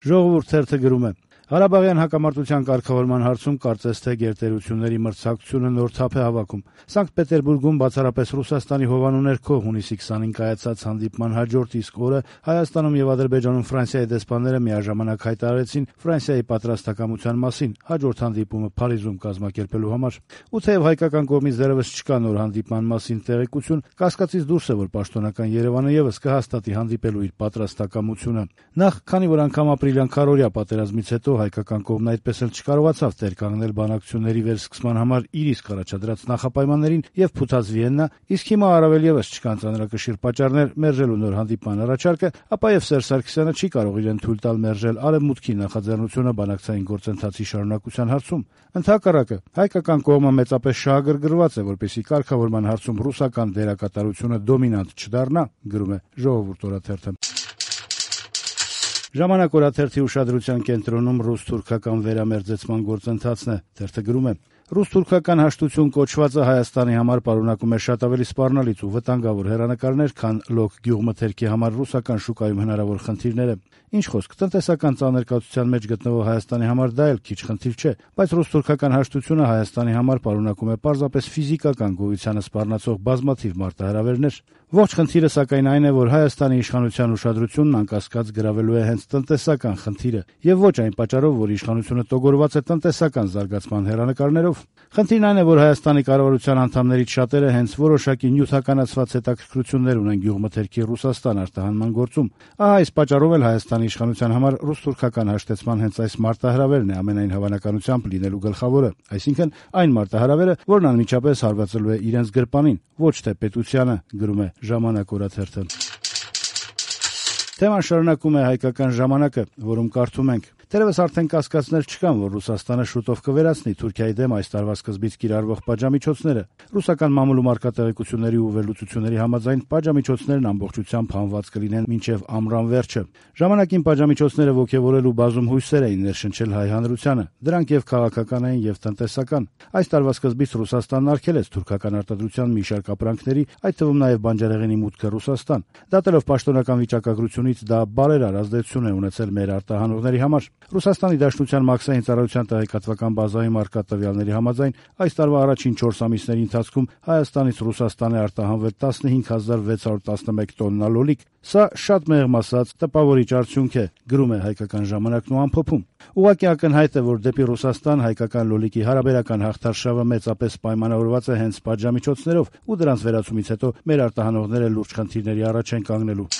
Ժողովուրդ թերթը գրում է. Ղարաբաղյան հակամարտության կարգավորման հարցում կարծես թե գերտերությունների մրցակցությունը նոր թափ է հավաքում։ Սանկտ Պետերբուրգում բացառապես Ռուսաստանի հովանու ներքո հունիսի 25 կայացած հանդիպման հաջորդ իսկ օրը Հայաստանում եւ Ադրբեջանում Ֆրանսիայի դեսպանները միաժամանակ հայտարարեցին Ֆրանսիայի պատրաստակամության մասին հաջորդ հանդիպումը Փարիզում կազմակերպելու համար։ Ու թեև հայկական կողմից դեռևս չկա նոր հանդիպման մասին տեղեկություն, կասկածից դուրս է, որ պաշտոնական Երևանը եւս կհաստատի հանդիպելու իր պատրաստակամությունը։ Նախ, քանի որ անգամ ապրիլյան քառօրյա պատերազմից հետո հայկական կողմն այդպես էլ չկարողացավ տեր կանգնել բանակցությունների վերսկսման համար իր իսկ առաջադրած նախապայմաններին եւ փութած Վիեննա, իսկ հիմա առավել եւս չկան ծանրակշիռ պատճառներ մերժելու նոր հանդիպման առաջարկը, ապա եւ Սերժ Սարգսյանը չի կարող իրեն թույլ տալ մերժել արևմուտքի նախաձեռնությունը բանակցային գործընթացի շարունակության հարցում։ Ընդհակառակը, հայկական կողմը մեծապես շահագրգռված է, որպեսզի կարգավորման հարցում ռուսական դերակատարությունը դոմինանտ չդառնա, գրում է Ժողովուրդ օրաթերթը։ Ժամանակ օրաթերթի ուշադրության կենտրոնում ռուս-թուրքական վերամերձեցման գործընթացն է, թերթը գրում է. Ռուս-թուրքական հաշտություն կոչվածը Հայաստանի համար պարունակում է շատ ավելի սպառնալից ու վտանգավոր հեռանկարներ, քան լոկ գյուղմթերքի համար ռուսական շուկայում հնարավոր խնդիրները։ Ինչ խոսք, տնտեսական ծանրկացության մեջ գտնվող Հայաստանի համար դա էլ քիչ խնդիր չէ, բայց ռուս-թուրքական հաշտությունը Հայաստանի համար պարունակում է պարզապես ֆիզիկական գոյությանը սպառնացող բազմաթիվ մարտահրավերներ։ Ողջ խնդիրը սակայն այն է, որ Հայաստանի իշխանության ուշադրությունն անկասկած գրավելու է հենց տնտեսական խնդիրը, եւ ոչ այն պատճառով, որ իշխանությունը տոգորված է տնտեսական զարգացման հեռանկարներով։ Խնդիրն այն է, որ Հայաստանի կառավարության անդամներից շատերը հենց որոշակի նյութականացված հետաքրքրություններ ունեն գյուղմթերքի Ռուսաստան արտահանման գործում։ Ահա այս պատճառով էլ Հայաստանի իշխանության համար ռուս-թուրքական հաշտեցման հենց այս մարտահրավերն է ամենայն հավանականությամբ լինելու գլխավորը, այսինքն այն մարտահրավերը, որն անմիջապես հարվածելու է իրենց գրպանին, ոչ թե պետությանը, գրում է Ժամանակ օրաթերթը։ Թեման շարունակում է հայկական ժամանակը, որում կարդում ենք. Դեռևս արդեն կասկածներ չկան, որ Ռուսաստանը շուտով կվերացնի Թուրքիայի դեմ այս տարվա սկզբից կիրառվող պատժամիջոցները։ Ռուսական մամուլում արկա տեղեկությունների ու վերլուծությունների համաձայն պատժամիջոցներն ամբողջությամբ հանված կլինեն մինչև ամռան վերջը։ Ժամանակին պատժամիջոցները ոգևորելու բազում հույսեր էին ներշնչել հայ հանրությանը, դրանք եւ քաղաքական էին եւ տնտեսական։ Այս տարվա սկզբից Ռուսաստանն արգելեց թուրքական արտադրության մի շարք ապրանքների, այդ թվում նաեւ բանջարեղենի մուտքը Ռուսաստան։ Դատելով պաշտոնական վիճակագրությունից դա բարերար ազդեցություն է ունեցել մեր արտահանողների համար։ Ռուսաստանի Դաշնության մաքսային ծառայության տեղեկատվական բազայում արկա տվյալների համաձայն այս տարվա առաջին 4 ամիսների ընթացքում Հայաստանից Ռուսաստան է արտահանվել 15611 տոննա լոլիկ։ Սա շատ մեղմ ասած տպավորիչ արդյունք է, գրում է հայկական ժամանակն ու ամփոփում։ Ուղղակի ակնհայտ է, որ դեպի Ռուսաստան հայկական լոլիկի հարաբերական հաղթարշավը մեծապես պայմանավորված է հենց պատժամիջոցներով ու դրանց վերացումից հետո մեր արտահանողները լուրջ խնդիրների առաջ են կանգնելու։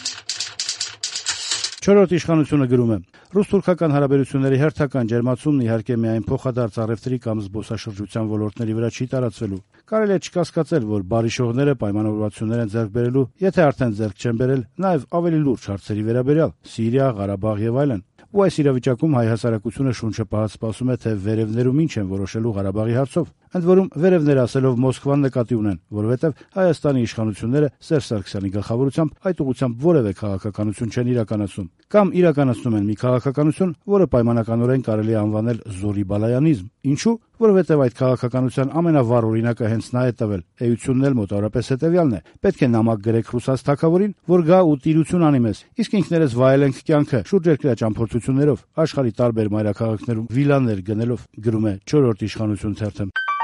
Չորրորդ իշխանությունը գրում է. Ռուս-թուրքական հարաբերությունների հերթական ջերմացումն իհարկե միայն փոխադարձ առևտրի կամ զբոսաշրջության ոլորտների վրա չի տարածվելու։ Կարելի է չկասկածել, որ բարիշողները պայմանավորվածություններ են ձեռք բերելու, եթե արդեն ձեռք չեն բերել, նաև ավելի լուրջ հարցերի վերաբերյալ՝ Սիրիա, Ղարաբաղ եւ այլն։ Ու այս իրավիճակում հայ հասարակությունը շունչը պահած սպասում է, թե վերևներում ինչ են որոշելու Ղարաբաղի հարցով։ Ընդ որում վերևներ ասելով Մոսկվան նկատի ունեն, որովհետև Հայաստանի իշխանությունները Սերժ Սարգսյանի գլխավորությամբ այդ ուղղությամբ որևէ քաղաքականություն չեն իրականացնում, կամ իրականացնում են մի քաղաքականություն, որը պայմանականորեն կարելի է անվանել զորի բալայանիզմ։ Ինչու՞։ Որովհետև այդ քաղաքականության ամենավառ օրինակը հենց նա է տվել։ Էությունն էլ մոտավորապես հետևյալն է. պետք է նամակ գրեք ռուսաց թագավորին, որ գա ու տիրություն անի մեզ, իսկ ինքներս վայելենք կյանքը շուրջերկրյա ճամփորդություններով, աշխարհի տարբեր մայրաքաղաքներում վիլաներ գնելով, գրում է Չորրորդ իշխանություն թերթը։